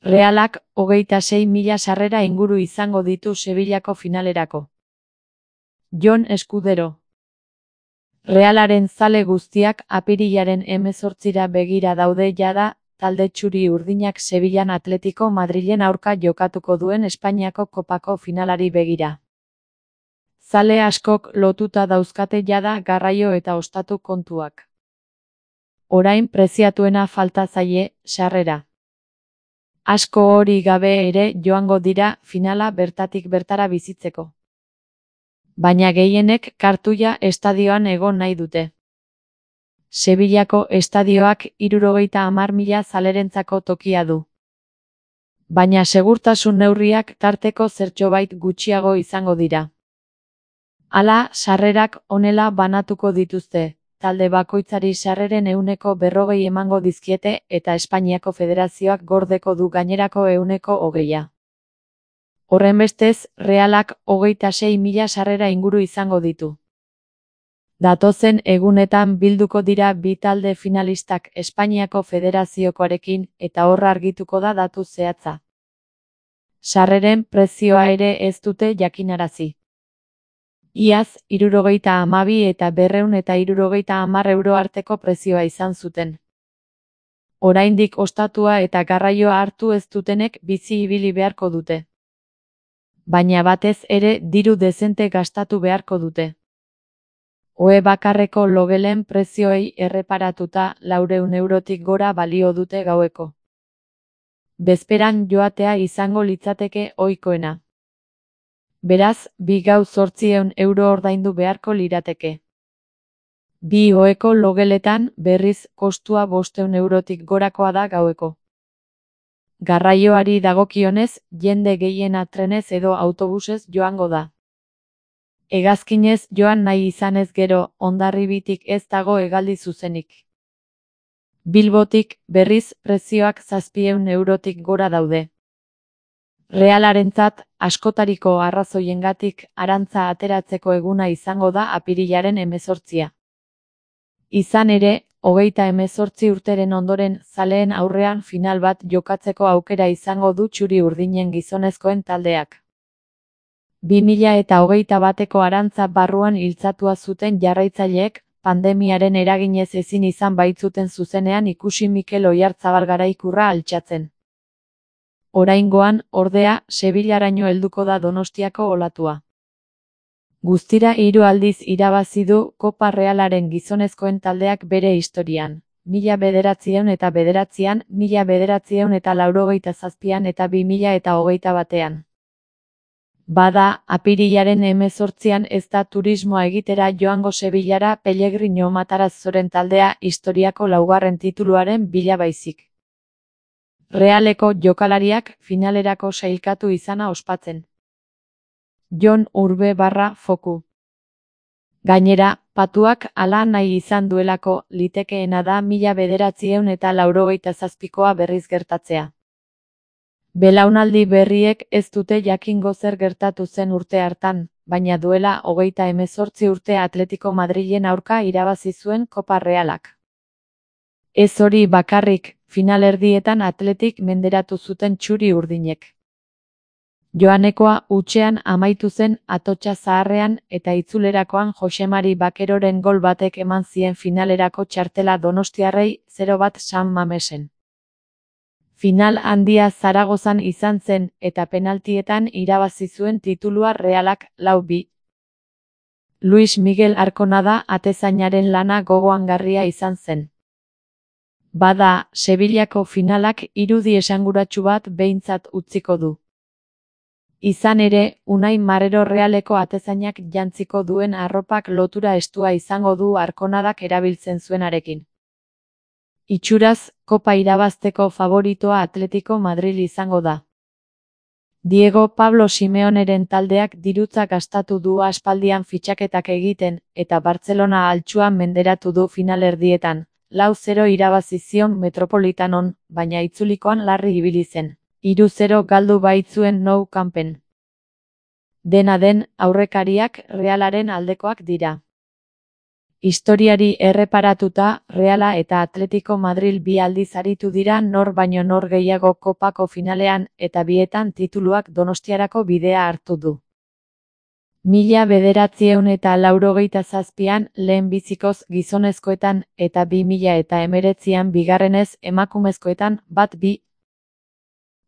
Realak 26.000 sarrera inguru izango ditu Sevillako finalerako. Jon Eskudero. Realaren zale guztiak apirilaren 18ra begira daude jada, talde txuri urdinak Sevillan Atletico Madrilen aurka jokatuko duen Espainiako kopako finalari begira. Zale askok lotuta dauzkate jada garraio eta ostatu kontuak. Orain preziatuena falta zaie, sarrera. Asko hori gabe ere joango dira finala bertatik bertara bizitzeko. Baina gehienek kartuia estadioan egon nahi dute. Sevillako estadioak 70.000 zalerentzako tokia du. Baina segurtasun neurriak tarteko zertxobait gutxiago izango dira. Hala, sarrerak honela banatuko dituzte, talde bakoitzari sarreren 40% emango dizkiete eta Espainiako Federazioak gordeko du gainerako 20%. Horrenbestez, Realak 26.000 sarrera inguru izango ditu. Datozen egunetan bilduko dira bi talde finalistak Espainiako Federaziokoarekin eta hor argituko da datu zehatza. Sarreren prezioa ere ez dute jakinarazi. Iaz, 72 eta 270 euro arteko prezioa izan zuten. Oraindik ostatua eta garraioa hartu ez dutenek bizi ibili beharko dute. Baina batez ere diru dezente gastatu beharko dute. Ohe bakarreko logelen prezioei erreparatuta 400 eurotik gora balio dute gaueko. Bezperan joatea izango litzateke ohikoena. Beraz, bi gau 800 euro ordaindu beharko lirateke. Bi oheko logeletan berriz kostua 500 eurotik gorakoa da gaueko. Garraioari dagokionez, jende gehiena trenez edo autobusez joango da. Hegazkinez joan nahi izanez gero, Hondarribitik ez dago hegaldi zuzenik. Bilbotik, berriz, prezioak 700 eurotik gora daude. Realarentzat, askotariko arrazoiengatik, arantza ateratzeko eguna izango da apirilaren 18. Izan ere, 38 urteren ondoren zaleen aurrean final bat jokatzeko aukera izango du txuri urdinen gizonezkoen taldeak. 2021eko arantza barruan iltzatua zuten jarraitzaileek, pandemiaren eraginez ezin izan baitzuten zuzenean ikusi Mikel Oyarzabal garaikurra altxatzen. Oraingoan, ordea, Sevillaraino helduko da Donostiako olatua. Guztira 3 aldiz irabazi du Kopa Realaren gizonezkoen taldeak bere historian. 1909an, 1987an eta 2021an. Bada, apirilaren 18an ez da turismoa egitera joango Sevillara Pellegrino Matarazzoren taldea historiako 4. tituluaren bila baizik. Realeko jokalariak finalerako sailkatu izana ospatzen. Jon Urbe/Foku. Gainera, patuak hala nahi izan duelako litekeena da 1987koa berriz gertatzea. Belaunaldi berriek ez dute jakingo zer gertatu zen urte hartan, baina duela 38 urte Atletico Madrilen aurka irabazi zuen Kopa Realak. Ez hori bakarrik, finalerdietan Atletik menderatu zuten txuri urdinek. Joanekoa hutsean amaitu zen Atotxa Zaharrean eta itzulerakoan Josemari Bakeroren gol batek eman zien finalerako txartela donostiarrei 0-1 San Mamesen. Final handia Zaragozan izan zen eta penaltietan irabazi zuen titulua Realak 4-2. Luis Miguel Arkonada atezainaren lana gogoangarria izan zen. Bada, Sevillako finalak irudi esanguratsu bat behintzat utziko du. Izan ere, Unai Marrero Realeko atezainak jantziko duen arropak lotura estua izango du Arkonadak erabiltzen zuenarekin. Itxuraz, Kopa irabazteko favoritoa Atletico Madrid izango da. Diego Pablo Simeoneren taldeak dirutza gastatu du aspaldian fitxaketak egiten, eta Bartzelona altxuan menderatu du finalerdietan, 4-0 irabazi zion Metropolitanon, baina itzulikoan larri ibili zen. 3-0 galdu baitzuen Nou Campen. Dena den, aurrekariak Realaren aldekoak dira. Historiari erreparatuta, Reala eta Atletico Madril bi aldiz aritu dira nor baino nor gehiago kopako finalean eta bietan tituluak Donostiarako bidea hartu du. 1987an lehenbizikoz gizonezkoetan eta 2019an bigarrenez emakumezkoetan bat-bi.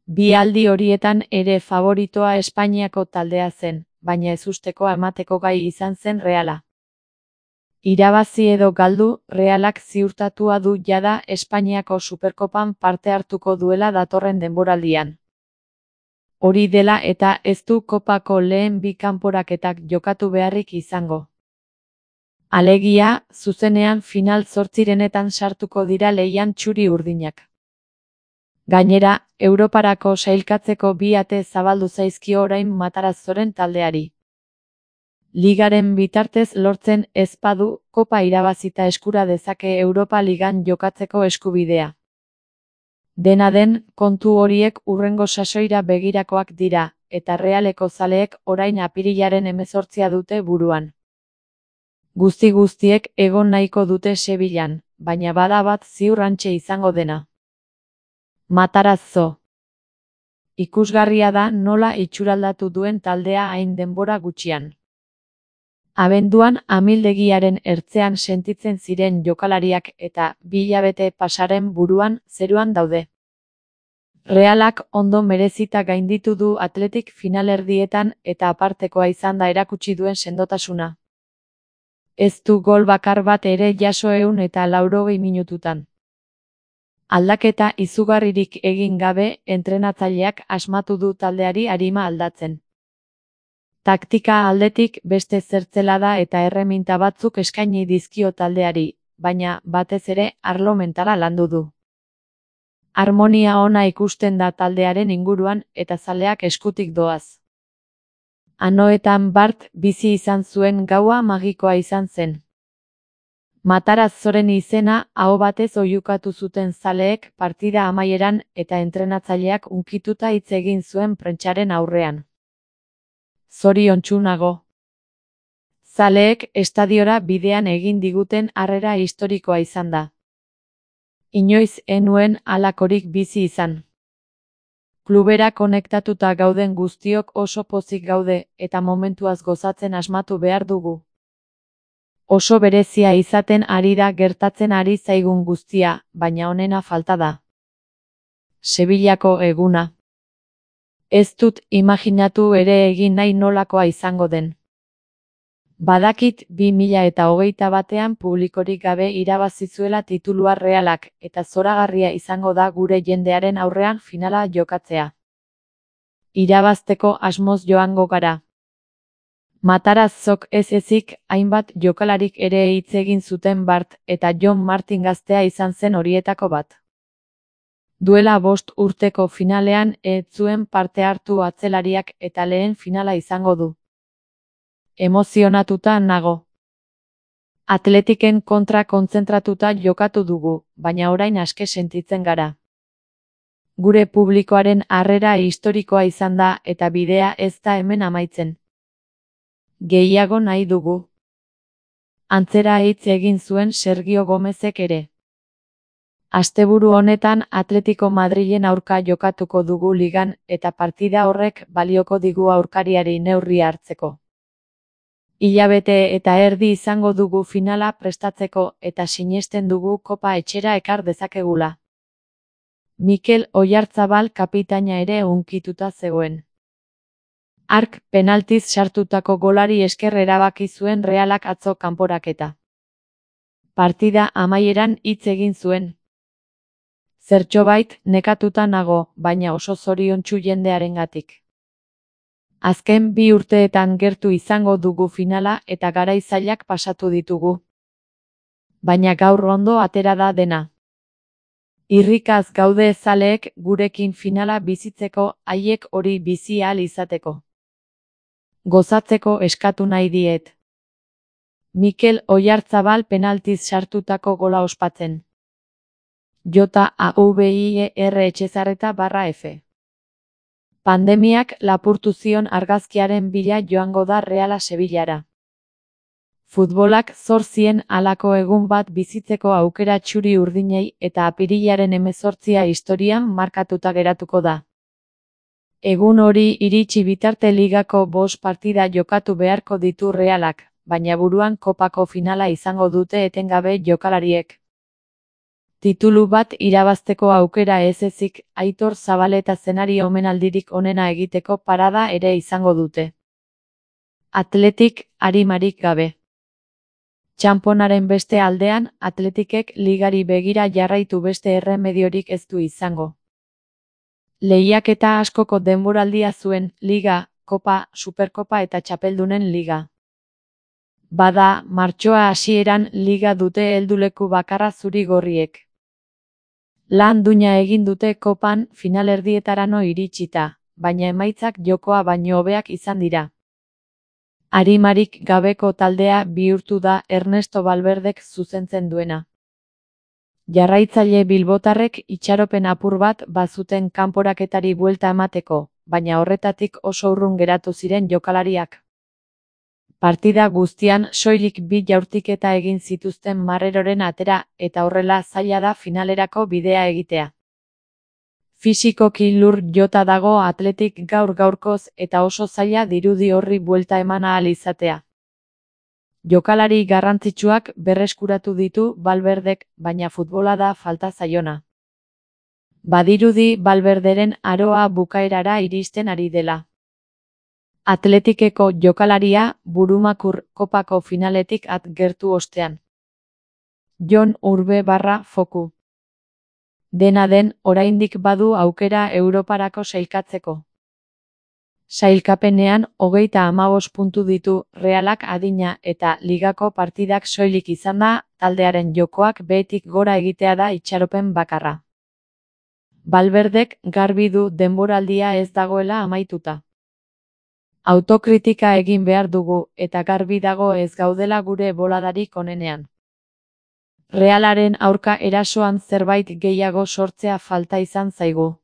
Bi aldi horietan ere favoritoa Espainiako taldea zen, baina ezustekoa emateko gai izan zen Reala. Irabazi edo galdu, Realak ziurtatua du jada Espainiako Superkopan parte hartuko duela datorren denboraldian. Hori dela eta ez du kopako lehen bi kanporaketak jokatu beharrik izango. Alegia, zuzenean final zortzirenetan sartuko dira lehian txuri-urdinak. Gainera, Europarako sailkatzeko bi ate zabaldu zaizkio orain Matarazzoren taldeari. Ligaren bitartez lortzen ez badu, kopa irabazita eskura dezake Europa Ligan jokatzeko eskubidea. Dena den, kontu horiek hurrengo sasoira begirakoak dira, eta Realeko zaleek orain apirilaren 18 dute buruan. Guztiek egon nahiko dute Sevillan, baina bada bat ziur hantxe izango dena. Matarazzo. Ikusgarria da nola itxuraldatu duen taldea hain denbora gutxian. Abenduan amildegiaren ertzean sentitzen ziren jokalariak eta 2 hilabete pasaren buruan zeruan daude. Realak ondo merezita gainditu du Athletic finalerdietan eta apartekoa izan da erakutsi duen sendotasuna. Ez du gol bakar bat ere jaso 180 minututan. Aldaketa izugarririk egin gabe, entrenatzaileak asmatu du taldeari arima aldatzen. Taktika aldetik beste zertzelada eta erreminta batzuk eskaini dizkio taldeari, baina batez ere arlo mentala landu du. Harmonia ona ikusten da taldearen inguruan eta zaleak eskutik doaz. Anoetan Bart bizi izan zuen gaua magikoa izan zen. Matarazzoren izena aho batez oihukatu zuten zaleek partida amaieran eta entrenatzaileak hunkituta hitz egin zuen prentsaren aurrean. Zoriontsu nago. Zaleek estadiora bidean egin diguten harrera historikoa izan da. Inoiz enuen halakorik bizi izan. Klubera konektatuta gauden guztiok oso pozik gaude eta momentuaz gozatzen asmatu behar dugu. Oso berezia izaten ari da gertatzen ari zaigun guztia, baina onena falta da. Sevillako eguna. Ez dut imaginatu ere egin nahi nolakoa izango den. Badakit 2021an publikorik gabe irabazi zuela titulua Realak eta zoragarria izango da gure jendearen aurrean finala jokatzea. Irabazteko asmoz joango gara. Matarazzok ez ezik hainbat jokalarik ere hitz egin zuten Bart eta John Martin gaztea izan zen horietako bat. Duela 5 urteko finalean ez zuen parte hartu atzelariak eta lehen finala izango du. Emozionatuta nago. Atletiken kontra kontzentratuta jokatu dugu, baina orain aske sentitzen gara. Gure publikoaren harrera historikoa izan da eta bidea ez da hemen amaitzen. Gehiago nahi dugu. Antzera hitz egin zuen Sergio Gomezek ere. Asteburu honetan Atletico Madrilen aurka jokatuko dugu ligan eta partida horrek balioko digu aurkariari neurria hartzeko. Hilabete eta erdi izango dugu finala prestatzeko eta sinesten dugu kopa etxera ekar dezakegula. Mikel Oyarzabal kapitaina ere hunkituta zegoen. Hark penaltiz sartutako golari esker erabaki zuen Realak atzo kanporaketa. Partida amaieran hitz egin zuen. Zertxobait nekatuta nago, baina oso zoriontsu jendearengatik. Azken 2 urteetan gertu izango dugu finala eta garai zailak pasatu ditugu. Baina gaur ondo atera da dena. Irrikaz gaude zaleek gurekin finala bizitzeko, haiek hori bizi ahal izateko. Gozatzeko eskatu nahi diet. Mikel Oyarzabal penaltiz sartutako gola ospatzen. JAVIER Etxezarreta/F. Pandemiak lapurtu zion argazkiaren bila joango da Reala Sevillara. Futbolak zor zien halako egun bat bizitzeko aukera txuri-urdinei eta apirilaren 18 historian markatuta geratuko da. Egun hori iritsi bitarte ligako 5 partida jokatu beharko ditu Realak, baina buruan kopako finala izango dute etengabe jokalariek. Titulu bat irabazteko aukera ez ezik, Aitor Zabaleta zenari omenaldirik onena egiteko parada ere izango dute. Athletic arimarik gabe. Txanponaren beste aldean, Athleticek ligari begira jarraitu beste erremediorik ez du izango. Lehiaketa askoko denboraldia zuen, Liga, Kopa, Superkopa eta Txapeldunen Liga. Bada, martxoa hasieran Liga dute helduleku bakarra zuri-gorriek. Lan duina egin dute Kopan finalerdietarano iritsita, baina emaitzak jokoa baino hobeak izan dira. Arimarik gabeko taldea bihurtu da Ernesto Valverdek zuzentzen duena. Jarraitzaile bilbotarrek itxaropen apur bat bazuten kanporaketari buelta emateko, baina horretatik oso urrun geratu ziren jokalariak. Partida guztian soilik 2 jaurtiketa egin zituzten Marreroren atera eta horrela zaila da finalerako bidea egitea. Fisikoki lur jota dago Athletic gaur-gaurkoz eta oso zaila dirudi horri buelta eman ahal izatea. Jokalari garrantzitsuak berreskuratu ditu Valverdek, baina futbola da falta zaiona. Badirudi Valverderen aroa bukaerara iristen ari dela. Athleticeko jokalaria burumakur kopako finaletik at gertu ostean. Jon Urbe/Foku. Dena den, oraindik badu aukera Europarako sailkatzeko. Sailkapenean 35 puntu ditu Realak adina eta ligako partidak soilik izanda, taldearen jokoak behetik gora egitea da itxaropen bakarra. Valverdek garbi du denboraldia ez dagoela amaituta. Autokritika egin behar dugu eta garbi dago ez gaudela gure boladarik onenean. Realaren aurka erasoan zerbait gehiago sortzea falta izan zaigu.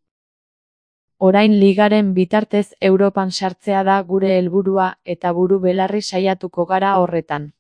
Orain ligaren bitartez Europan sartzea da gure helburua eta buru belarri saiatuko gara horretan.